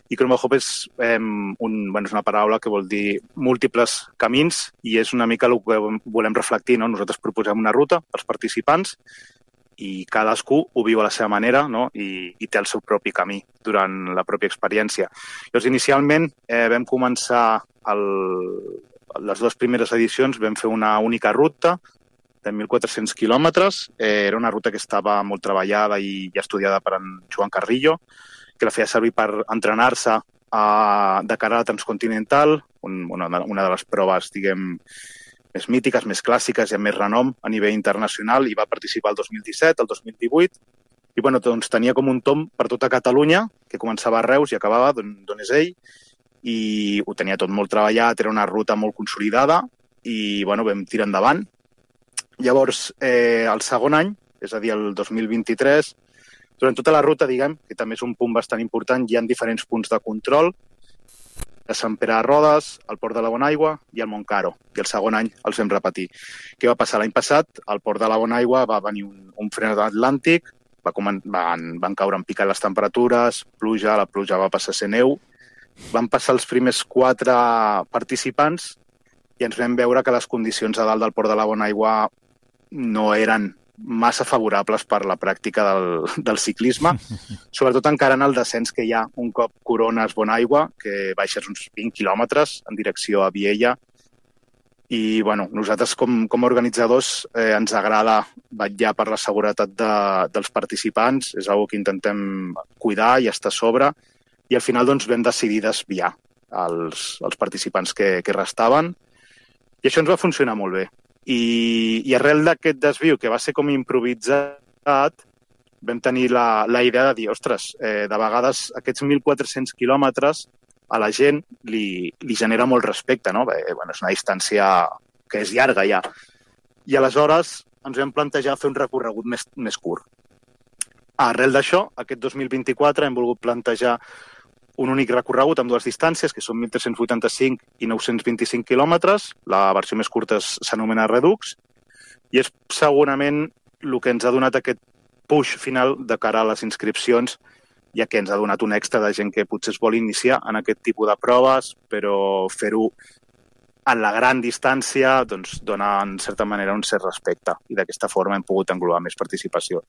Speaker 4: I Crombohog és, eh, un, bueno, és una paraula que vol dir múltiples camins i és una mica el que volem reflectir, no? Nosaltres proposem una ruta als participants i cadascú ho viu a la seva manera, no? I, i té el seu propi camí durant la pròpia experiència. Llavors, inicialment eh, vam començar el, les dues primeres edicions, vam fer una única ruta de mil quatre-cents quilòmetres. Eh, era una ruta que estava molt treballada i, i estudiada per en Joan Carrillo, que la feia servir per entrenar-se a, de cara a la Transcontinental, un, una, una de les proves, diguem, més mítiques, més clàssiques i amb més renom a nivell internacional, i va participar el dos mil disset, el dos mil divuit, i bueno, doncs, tenia com un tomb per tota Catalunya, que començava a Reus i acabava d'on és ell, i ho tenia tot molt treballat, era una ruta molt consolidada, i bueno, vam tirar endavant. Llavors, eh, el segon any, és a dir, el dos mil vint-i-tres, durant tota la ruta, diguem, que també és un punt bastant important, hi ha diferents punts de control, a Sant Pere de Rodes, al Port de la Bonaigua i al Montcaro. I el segon any els vam repetir. Què va passar l'any passat? Al Port de la Bonaigua va venir un, un fred atlàntic, va comen- van, van caure en picat les temperatures, pluja, la pluja va passar a ser neu. Van passar els primers quatre participants i ens vam veure que les condicions a dalt del Port de la Bonaigua no eren massa favorables per la pràctica del, del ciclisme, sobretot encara en el descens que hi ha un cop corones Bonaigua, que baixes uns vint quilòmetres en direcció a Viella. I bueno, nosaltres com, com a organitzadors eh, ens agrada vetllar per la seguretat de, dels participants, és una que intentem cuidar i estar a sobre, i al final doncs, vam decidir desviar els, els participants que, que restaven, i això ens va funcionar molt bé. I, i arrel d'aquest desviu, que va ser com improvisat, vam tenir la, la idea de dir, ostres, eh, de vegades aquests mil quatre-cents quilòmetres a la gent li, li genera molt respecte, no? Bé, bueno, és una distància que és llarga ja. I aleshores ens vam plantejar fer un recorregut més, més curt. Arrel d'això, aquest dos mil vint-i-quatre hem volgut plantejar un únic recorregut amb dues distàncies, que són mil tres-cents vuitanta-cinc i nou-cents vint-i-cinc quilòmetres. La versió més curta s'anomena Redux, i és segurament el que ens ha donat aquest push final de cara a les inscripcions, ja que ens ha donat un extra de gent que potser es vol iniciar en aquest tipus de proves, però fer-ho en la gran distància doncs, dona, en certa manera, un cert respecte, i d'aquesta forma hem pogut englobar més participació.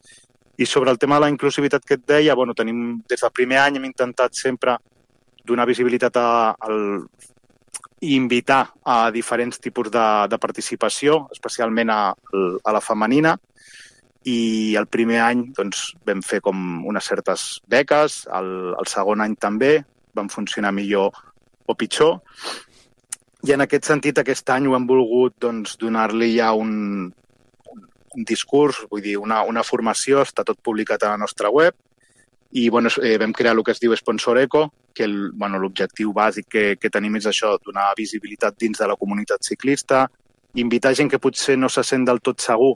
Speaker 4: I sobre el tema de la inclusivitat que et deia, bueno, tenim, des del primer any hem intentat sempre donar visibilitat a, al, i invitar a diferents tipus de, de participació, especialment a, a la femenina, i el primer any doncs, vam fer com unes certes beques, el, el segon any també, van funcionar millor o pitjor, i en aquest sentit aquest any ho hem volgut doncs, donar-li ja un, un discurs, vull dir, una, una formació, està tot publicat a la nostra web, i bueno, eh, vam crear el que es diu Sponsor Eco, que el, bueno, l'objectiu bàsic que, que tenim és això, donar visibilitat dins de la comunitat ciclista, invitar gent que potser no se sent del tot segur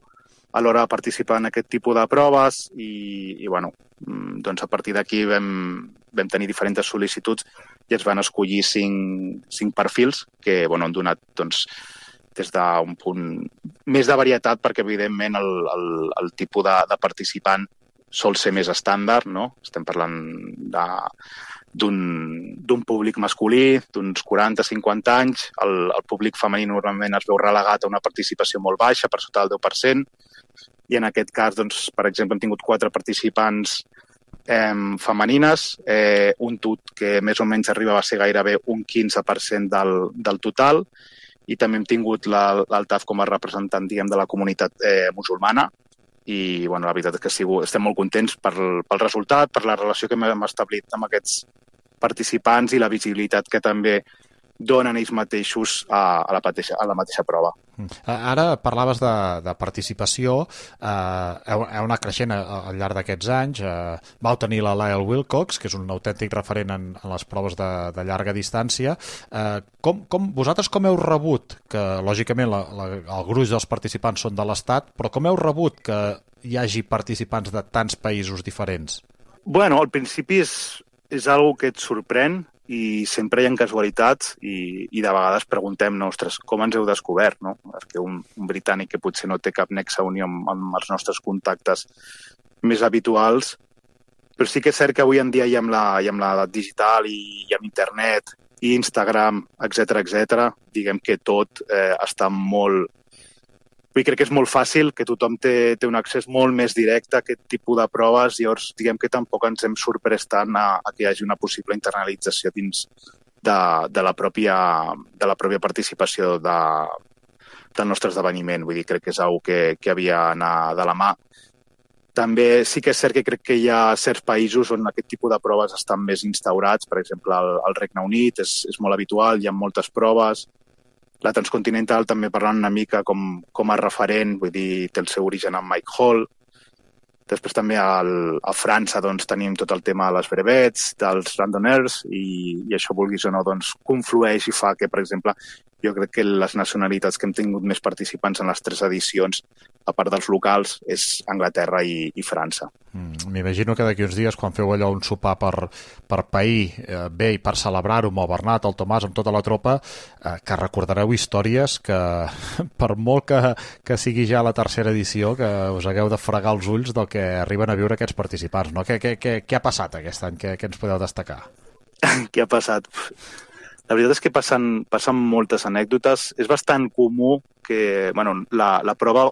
Speaker 4: a l'hora de participar en aquest tipus de proves, i, i bueno, doncs a partir d'aquí vam, vam tenir diferents sol·licituds i es van escollir cinc, cinc perfils que bueno, han donat doncs, des d'un punt més de varietat, perquè evidentment el, el, el tipus de, de participant sol ser més estàndard, no? Estem parlant d'un públic masculí, d'uns quaranta a cinquanta anys, el, el públic femení normalment es veu relegat a una participació molt baixa, per sota del deu per cent, i en aquest cas, doncs, per exemple, hem tingut quatre participants eh, femenines, eh, un tut que més o menys arriba a ser gairebé un quinze per cent del, del total, i també hem tingut l'Altaf com a representant, diguem, de la comunitat eh, musulmana, i bueno, la veritat és que sigo, estem molt contents per, pel resultat, per la relació que hem establit amb aquests participants i la visibilitat que també donen ells mateixos a, a, la, mateixa, a la mateixa prova.
Speaker 8: Ara parlaves de, de participació, eh, heu, heu anat creixent al llarg d'aquests anys, eh, vau tenir la Lyle Wilcox, que és un autèntic referent en, en les proves de, de llarga distància. Eh, com, com, vosaltres com heu rebut, que lògicament la, la, el gruix dels participants són de l'Estat, però com heu rebut que hi hagi participants de tants països diferents?
Speaker 4: Bueno, al principi és, és algo que et sorprèn, i sempre hi ha casualitats i, i de vegades preguntem, no, ostres, com ens heu descobert, no? Perquè un, un britànic que potser no té cap nexe unió amb, amb els nostres contactes més habituals, però sí que és cert que avui en dia hi ha amb la, hi ha amb l'edat digital i, i amb internet i Instagram, etcètera, etcètera, diguem que tot eh, està molt... Vull dir, crec que és molt fàcil, que tothom té, té un accés molt més directe a aquest tipus de proves, i llavors diguem que tampoc ens hem sorprès tant a, a que hi hagi una possible internalització dins de, de, la, pròpia, de la pròpia participació de, del nostre esdeveniment. Vull dir, crec que és una que, que havia d'anar de la mà. També sí que és cert que crec que hi ha certs països on aquest tipus de proves estan més instaurats. Per exemple, el, el Regne Unit és, és molt habitual, hi ha moltes proves. La Transcontinental també parlant una mica com, com a referent, vull dir, té el seu origen en Mike Hall. Després també al, a França doncs, tenim tot el tema de les brevets, dels randonneurs, i, i això, vulguis o no, doncs, conflueix i fa que, per exemple, jo crec que les nacionalitats que hem tingut més participants en les tres edicions, a part dels locals, és Anglaterra i, i França.
Speaker 8: Mm, m'imagino que d'aquí uns dies, quan feu allò un sopar per, per pair eh, bé i per celebrar-ho amb el Bernat, el Tomàs, amb tota la tropa, eh, que recordareu històries que, per molt que, que sigui ja la tercera edició, que us hagueu de fregar els ulls del que arriben a viure aquests participants, no? Què, què, què, què ha passat aquest any? Què, què ens podeu destacar?
Speaker 4: Què ha passat? La veritat és que passen, passen moltes anècdotes. És bastant comú que, bueno, la, la prova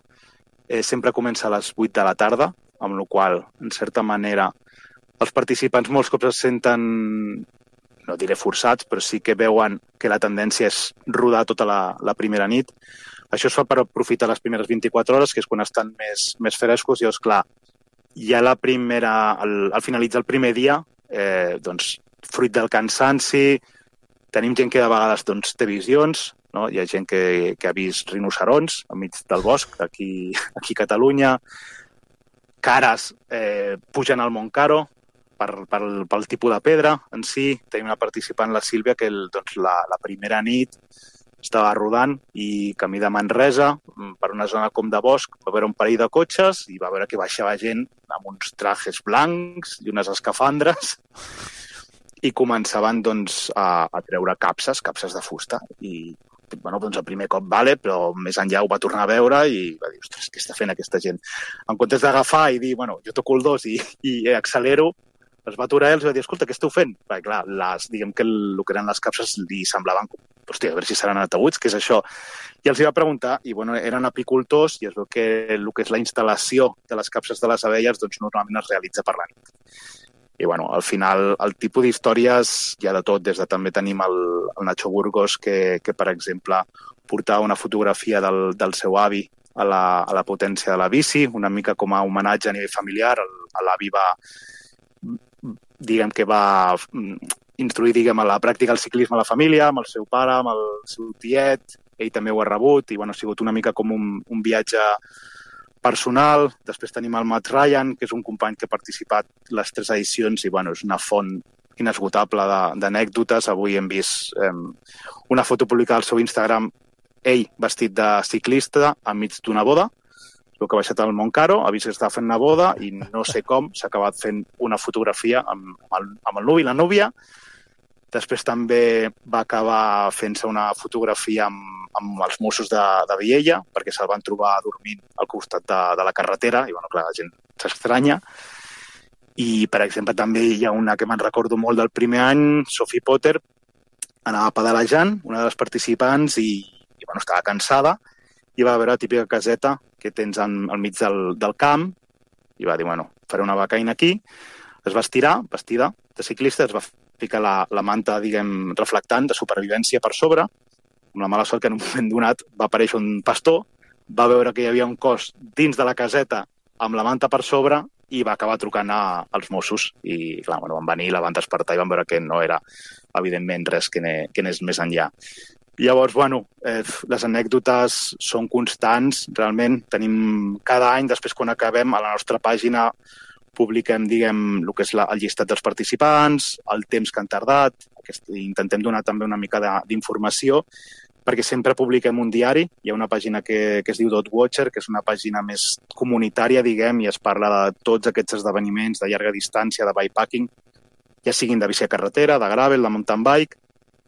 Speaker 4: eh, sempre comença a les vuit de la tarda, amb la qual cosa, en certa manera, els participants molts cops es senten, no diré forçats, però sí que veuen que la tendència és rodar tota la, la primera nit. Això es fa per aprofitar les primeres vint-i-quatre hores, que és quan estan més, més frescos, i llavors, clar, ja la primera, al, al finalitzar el primer dia, eh, doncs, fruit del cansanci, tenim gent que de vegades doncs, té visions, no? Hi ha gent que, que ha vist rinocerons enmig del bosc, aquí, aquí a Catalunya, cares eh, pugen al Montcaro per, per, pel tipus de pedra en si. Tenim una participant, la Sílvia, que el, doncs, la, la primera nit estava rodant i camí de Manresa per una zona com de bosc, va veure un parell de cotxes i va veure que baixava gent amb uns trajes blancs i unes escafandres i començaven doncs, a, a treure capses, capses de fusta. I bueno, doncs, el primer cop vale, però més enllà ho va tornar a veure i va dir, ostres, què està fent aquesta gent? En comptes d'agafar i dir, bueno, jo toco el dos i, i accelero, es va aturar i els va dir, escolta, què esteu fent? Perquè, clar, les, diguem que el, el que eren les capses li semblaven, hòstia, a veure si seran ataüts, què és això? I els hi va preguntar, i bueno, eren apicultors, i es veu que el que és la instal·lació de les capses de les abelles doncs, normalment es realitza per la nit. I bueno, al final el tipus d'històries hi ha de tot, des de també tenim el, el Nacho Burgos, que, que per exemple portava una fotografia del, del seu avi a la, a la potència de la bici, una mica com a homenatge a nivell familiar. L'avi va, diguem que va instruir diguem, a la pràctica del ciclisme a la família, amb el seu pare, amb el seu tiet, ell també ho ha rebut, i bueno, ha sigut una mica com un, un viatge personal. Després tenim el Matt Ryan, que és un company que ha participat les tres edicions i bueno, és una font inesgotable d'anècdotes. Avui hem vist eh, una foto publicada al seu Instagram, ell vestit de ciclista enmig d'una boda. El que ha baixat al Montcaro, ha vist que estava fent una boda i no sé com s'ha acabat fent una fotografia amb, amb, el, amb el nuvi i la núvia. Després també va acabar fent-se una fotografia amb, amb els Mossos de, de Viella, perquè se'l van trobar dormint al costat de, de la carretera, i bueno, clar, la gent s'estranya. I, per exemple, també hi ha una que me'n recordo molt del primer any, Sophie Potter, anava pedalejant, una de les participants, i, i bueno, estava cansada, i va veure la típica caseta que tens en, al mig del, del camp, i va dir, bueno, faré una becaina aquí. Es va estirar, vestida de ciclista, es va ficar la, la manta, diguem, reflectant de supervivència per sobre, amb la mala sort que en un moment donat va aparèixer un pastor, va veure que hi havia un cos dins de la caseta amb la manta per sobre i va acabar trucant a, als Mossos. I clar, bueno, van venir, la van despertar i van veure que no era, evidentment, res que anés més enllà. Llavors, bueno, eh, les anècdotes són constants, realment. Tenim cada any, després quan acabem, a la nostra pàgina publiquem, diguem, el que és la, el llistat dels participants, el temps que han tardat, aquest, intentem donar també una mica d'informació, perquè sempre publiquem un diari. Hi ha una pàgina que, que es diu Dot Watcher, que és una pàgina més comunitària, diguem, i es parla de tots aquests esdeveniments de llarga distància, de bikepacking, ja siguin de bici a carretera, de gravel, de mountain bike,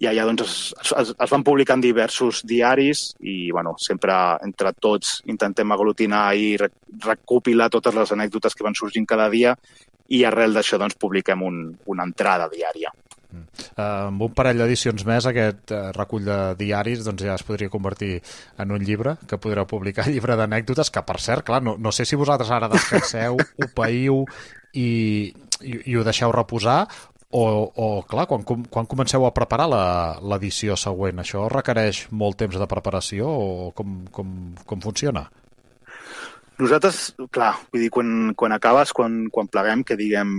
Speaker 4: i allà doncs, es, es, es van publicant diversos diaris i bueno, sempre entre tots intentem aglutinar i recopilar totes les anècdotes que van sorgint cada dia i arrel d'això doncs, publiquem un, una entrada diària.
Speaker 8: Mm. Uh, amb un parell d'edicions més aquest uh, recull de diaris doncs ja es podria convertir en un llibre que podreu publicar, llibre d'anècdotes, que per cert, clar, no, no sé si vosaltres ara descanseu, ho païu i, i, i ho deixeu reposar o, o clar, quan, quan comenceu a preparar l'edició següent, això requereix molt temps de preparació o com, com, com funciona?
Speaker 4: Nosaltres, clar, vull dir, quan, quan acabes, quan, quan pleguem, que diguem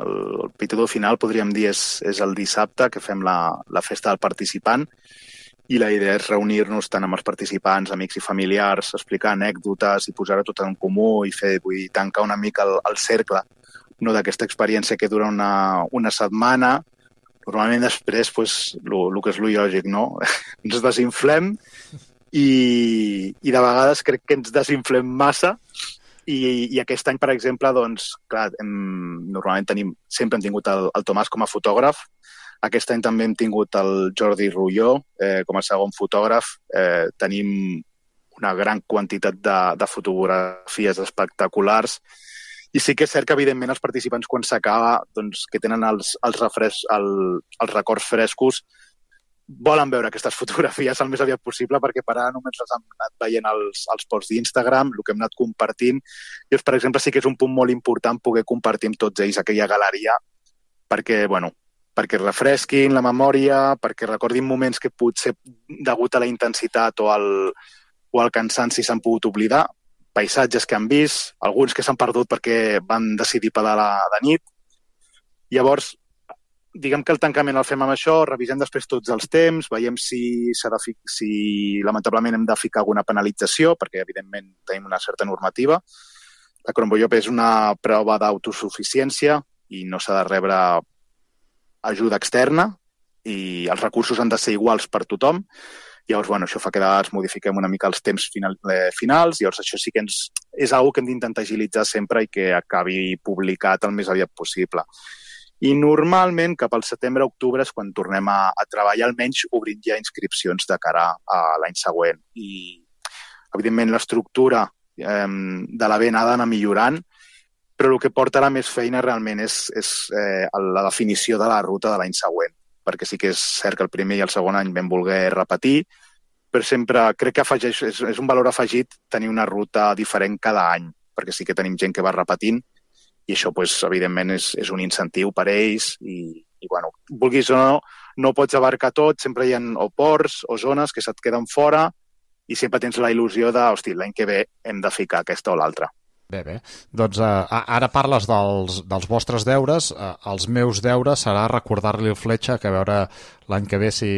Speaker 4: el, el pitador final, podríem dir, és, és el dissabte, que fem la, la festa del participant, i la idea és reunir-nos tant amb els participants, amics i familiars, explicar anècdotes i posar-ho tot en comú i fer, vull dir, tancar una mica el, el cercle, no, d'aquesta experiència que dura una, una setmana. Normalment després, pues, el que és lo lògic, no? Ens desinflem i, i de vegades crec que ens desinflem massa i, i aquest any, per exemple, doncs, clar, hem, normalment tenim, sempre hem tingut el, el Tomàs com a fotògraf. Aquest any també hem tingut el Jordi Rulló eh, com a segon fotògraf. Eh, tenim una gran quantitat de, de fotografies espectaculars. I sí que és cert que, evidentment, els participants, quan s'acaba, doncs, que tenen els, els, refres, el, els records frescos, volen veure aquestes fotografies el més aviat possible, perquè per ara només les hem anat veient els, els posts d'Instagram, el que hem anat compartint. I, per exemple, sí que és un punt molt important poder compartir amb tots ells aquella galeria, perquè, bueno, perquè refresquin la memòria, perquè recordin moments que potser, degut a la intensitat o al, o al cansanci, s'han pogut oblidar, paisatges que han vist, alguns que s'han perdut perquè van decidir pedalar de nit. Llavors, diguem que el tancament el fem amb això, revisem després tots els temps, veiem si, s'ha de fi... si lamentablement hem de ficar alguna penalització, perquè evidentment tenim una certa normativa. La Crombollop és una prova d'autosuficiència i no s'ha de rebre ajuda externa i els recursos han de ser iguals per tothom. Llavors, bueno, això fa que es modifiquem una mica els temps final, eh, finals, llavors això sí que ens, és una cosa que hem d'intentar agilitzar sempre i que acabi publicat el més aviat possible. I normalment cap al setembre-octubre és quan tornem a, a treballar, almenys obrint ja inscripcions de cara a l'any següent. I, evidentment, l'estructura eh, de la B N ha d'anar millorant, però el que porta ara més feina realment és, és eh, la definició de la ruta de l'any següent, perquè sí que és cert que el primer i el segon any vam voler repetir, però sempre crec que afegeix, és, és un valor afegit tenir una ruta diferent cada any, perquè sí que tenim gent que va repetint, i això, pues, evidentment, és, és un incentiu per a ells i, i bueno, vulguis o no, no pots abarcar tot, sempre hi ha o ports o zones que se't queden fora i sempre tens la il·lusió de, hosti, l'any que ve hem de ficar aquesta o l'altra.
Speaker 8: Bé, bé. Doncs eh, ara parles dels, dels vostres deures. Eh, els meus deures serà recordar-li el Fletxa que a veure l'any que ve si,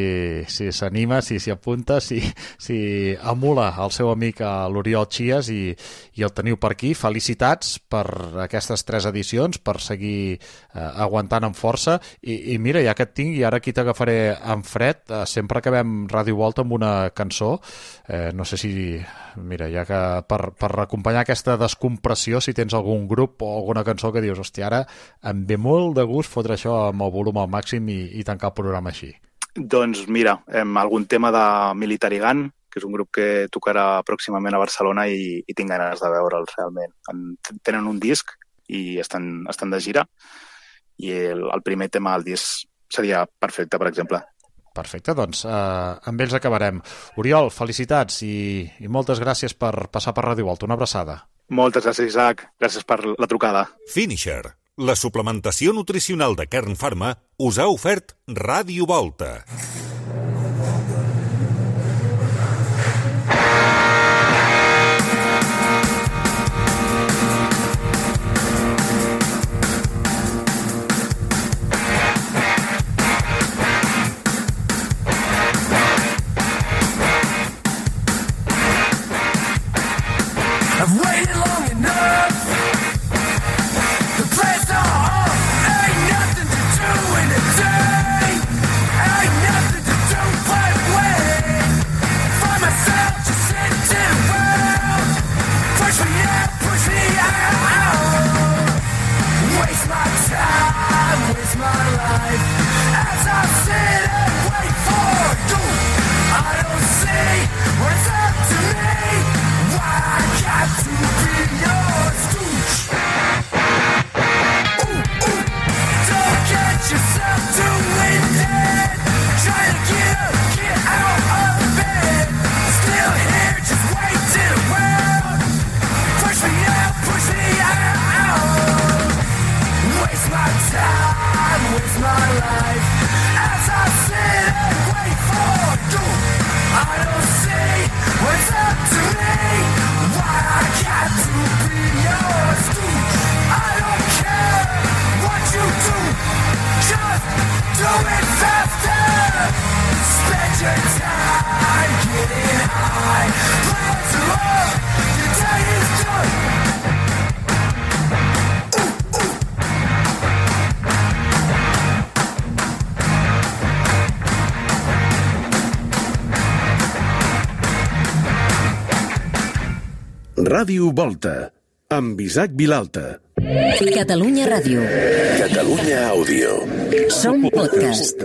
Speaker 8: si s'anima, si s'hi apunta, si, si emula el seu amic l'Oriol Chies i, i el teniu per aquí. Felicitats per aquestes tres edicions, per seguir eh, aguantant amb força. I, I mira, ja que et tinc, i ara aquí t'agafaré en fred, eh, sempre acabem Ràdio Volta amb una cançó. Eh, no sé si... Mira, ja que per, per acompanyar aquesta descompressió, si tens algun grup o alguna cançó que dius, hòstia, ara em ve molt de gust fotre això amb el volum al màxim i, i tancar el programa així.
Speaker 4: Doncs mira, hem algun tema de Military Gun, que és un grup que tocarà pròximament a Barcelona i, i tinc ganes de veure'ls realment. En, tenen un disc i estan, estan de gira i el, el primer tema del disc seria perfecte, per exemple.
Speaker 8: Perfecte, doncs eh, amb ells acabarem. Oriol, felicitats i, i moltes gràcies per passar per Ràdio Volta. Una abraçada.
Speaker 4: Moltes gràcies, Isaac. Gràcies per la trucada.
Speaker 5: Finisher, la suplementació nutricional de Kern Pharma, us ha ofert Ràdio Volta.
Speaker 6: I've waited long enough. The place off ain't nothing to do in a day. Ain't nothing to do but wait. Find myself just sitting around. Push me out, push me out. Waste my time, waste my life. As I sit and wait for you, I don't see what's up to me. Why I got to be
Speaker 2: Ràdio Volta, amb Isaac Vilalta.
Speaker 1: Catalunya Ràdio.
Speaker 2: Catalunya Àudio.
Speaker 1: Som podcast.